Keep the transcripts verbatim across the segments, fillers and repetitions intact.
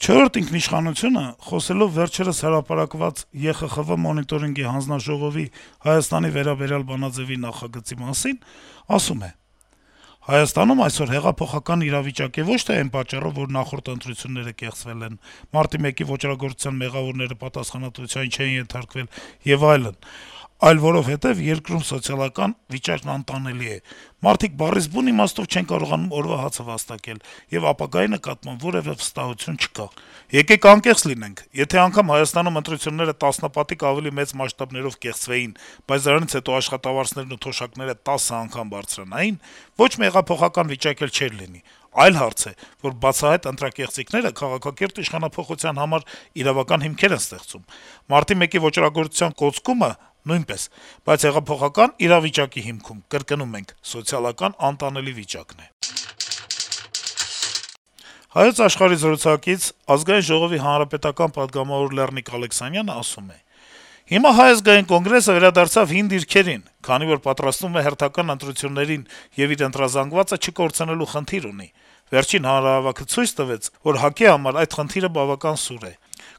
Չորրորդ ինքնիշխանությունը, խոսելով վերջերս հրապարակված Է Խ Խ V մոնիտորինգի հանձնաժողովի Հայաստանի վերաբերյալ բանաձեւի նախագծի մասին, ասում է. - «Հայաստանում այսօր հեղափոխական իրավիճակ է ոչ թե այն պատճառով, որ նախորդ ընտրությունները կեղծվել են, մարտի մեկի ոճրագործության մեղավորները պատասխանատվության չեն ենթարկվել եւ այլն, այլ որովհետեւ երկրում սոցիալական վիճակն անտանելի է: Մարդիկ բառից բուն իմաստով չեն կարողանում օրվա հացը վաստակել, եւ ապագայի նկատմամբ որեւէ վստահություն չկա: Եկեք անկեղծ լինենք. եթե անգամ Հայաստանում ընտրությունները տասնապատիկ ավելի մեծ մասշտաբներով կեղծվեին, բայց դրանից հետո աշխատավարձերն ու թոշակները տասը անգամ բարձրանային, ոչ մի հեղափոխական վիճակ էլ չէր լինի: Այլ հարց է, որ բացահայտ ընտրակեղծիքները քաղաքակիրթ իշխանափոխության համար իրավական հիմքեր են ստեղծում: Մարտի մեկի ոճրագործության կոծկումը նույնպես: Բայց հեղափոխական իրավիճակի հիմքում, կրկնում ենք, սոցիալական անտանելի վիճակն է»: «Հայոց Աշխարհ»-ի զրուցակից Ազգային ժողովի հանրապետական պատգամավոր Լեռնիկ Ալեքսանյանը ասում է. - «Հիմա Հայ ազգային կոնգրեսը վերադարձավ հին դիրքերին, քանի որ պատրաստվում է հերթական ընտրություններին եւ իր ընտրազանգվածը չկորցնելու խնդիր ունի: Վերջին հանրահավաքը ցույց տվեց, որ ՀԱԿ-ի համար այդ խնդիրը բավական սուր է: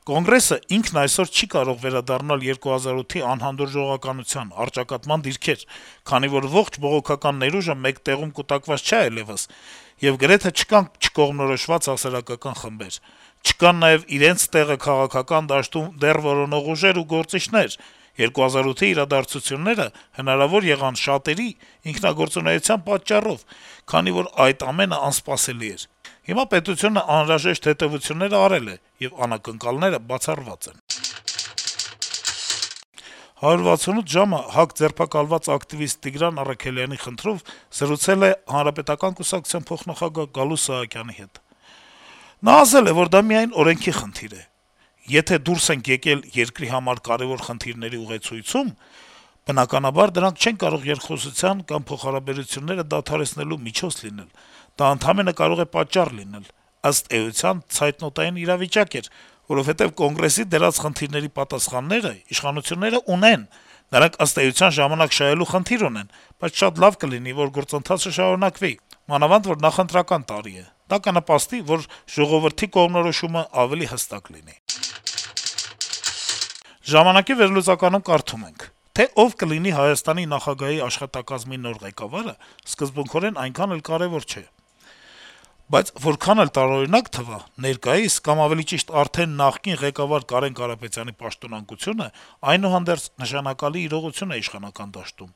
Կոնգրեսը ինքն այսօր չի կարող վերադառնալ երկու հազար ութի անհանդուրժողականության, առճակատման դիրքեր, քանի որ ողջ բողոքական ներուժը մեկ տեղում կուտակված չէ այլեւս, եւ գրեթե չկան չկողմնորոշված հասարակական խմբեր: Չկան նաեւ իրենց տեղը քաղաքական դաշտում դեռ որոնող ուժեր ու գործիչներ: երկու հազար ութի իրադարձությունները հնարավոր եղան շատերի ինքնագործունեության պատճառով, քանի որ այդ ամենը անսպասելի էր: Հիմա պետությունն անհրաժեշտ հետեւությունները արել է, եւ անակնկալները բացառված են»: «հարյուր վաթսունութ ժամ»-ը ՀԱԿ ձերբակալված ակտիվիստ Տիգրան Առաքելյանի խնդրով զրուցել է Հանրապետական կուսակցության փոխնախագահ Գալուստ Սահակյանի հետ: Նա ասել է, որ դա միայն օրենքի խնդիր է: Եթե դուրս ենք եկել երկրի համար կարեւոր խնդիրների ուղեցույցում, բնականաբար դրանք չեն կարող երկխոսության կամ փոխհարաբերությունները դադարեցնելու միջոց լինել: Դա ընդամենը կարող է պատճառ լինել: Ըստ էության, ցայտնոտային իրավիճակ էր, որովհետեւ Կոնգրեսի դրած խնդիրների պատասխանները իշխանությունները ունեն: Նրանք, ըստ էության, ժամանակ շահելու խնդիր ունեն: Բայց շատ լավ կլինի, որ գործընթացը շարունակվի, մանավանդ որ նախընտրական տարի է: Դա կնպաստի, որ ժողովրդի կողմնորոշումը ավելի հստակ լինի»: «Ժամանակ»-ի վերլուծականում կարդում ենք. - «Թե ով կլինի Հայաստանի նախագահի աշխատակազմի նոր ղեկավարը, սկզբունքորեն այնքան էլ կարեւոր չէ: Բայց որքան էլ տարօրինակ թվա, ներկայիս, կամ ավելի ճիշտ արդեն նախկին ղեկավար Կարեն Կարապետյանի պաշտոնանկությունը այնուհանդերձ նշանակալի իրողություն է իշխանական դաշտում: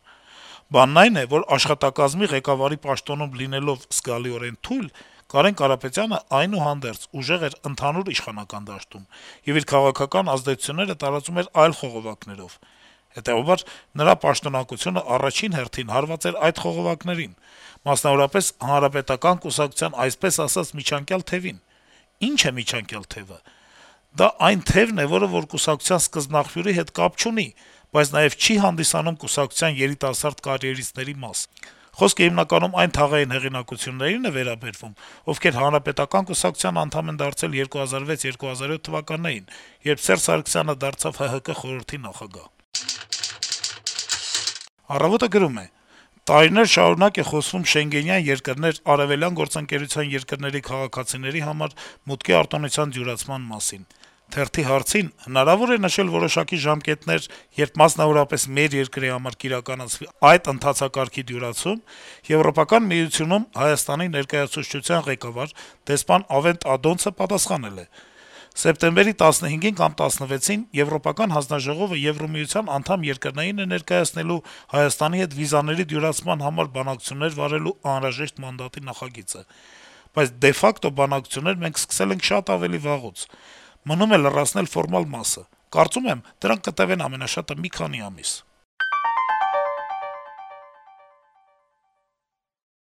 Բանն այն է, որ աշխատակազմի ղեկավարի պաշտոնում լինելով զգալիորեն թույլ, Կարեն Կարապետյանը, այնուհանդերձ, ուժեղ էր ընդհանուր իշխանական դաշտում եւ իր քաղաքական ազդեցությունները տարածում էր այլ խողովակներով: Հետեւաբար նրա պաշտոնանկությունը առաջին հերթին հարված էր այդ խողովակներին, մասնավորապես Հանրապետական կուսակցության այսպես ասած միջանկյալ թեւին: Ի՞նչ է միջանկյալ թեւը: Դա այն թեւն է, որը որ կուսակցության սկզբնաղբյուրի հետ կապ չունի, բայց նաեւ չի հանդիսանում կուսակցության երիտասարդ կարիերիստների մաս: Խոսքը հիմնականում այն թաղային հեղինակություններին է վերաբերվում, ովքեր Հանրապետական կուսակցության անդամ են դարձել երկու հազար վեց - երկու հազար յոթ թվականներին, երբ Սերժ Սարգսյանը դարձավ Հ Հ Կը խորհրդի նախագահ»: «Առավոտ»-ը գրում է. - «Տարիներ շարունակ է խոսվում Շենգենյան երկրներ, Արեւելյան գործընկերության երկրների քաղաքացիների համար մուտքի արտոնության դյուրացման մասին: Թերթի հարցին` հնարավո՞ր է նշել որոշակի ժամկետներ, երբ մասնավորապես մեր երկրի համար կիրականացվի այդ ընթացակարգի դյուրացում, Եվրոպական միությունում Հայաստանի ներկայացուցչության ղեկավար դեսպան Ավենտ Ադոնցը պատասխանել է. սեպտեմբերի տասնհինգին կամ տասնվեցին Եվրոպական հանձնաժողովը Եվրամիության անդամ երկրներին է ներկայացնելու Հայաստանի հետ վիզաների դյուրացման համար բանակցություններ վարելու անհրաժեշտ մանդատի նախագիծը: Բայց դե ֆակտո բանակցություններ մենք սկսել ենք շատ ավելի վաղուց: Մնում է լրացնել ֆորմալ մասը: Կարծում եմ, դրանք կտեւեն ամենաշատը մի քանի ամիս»: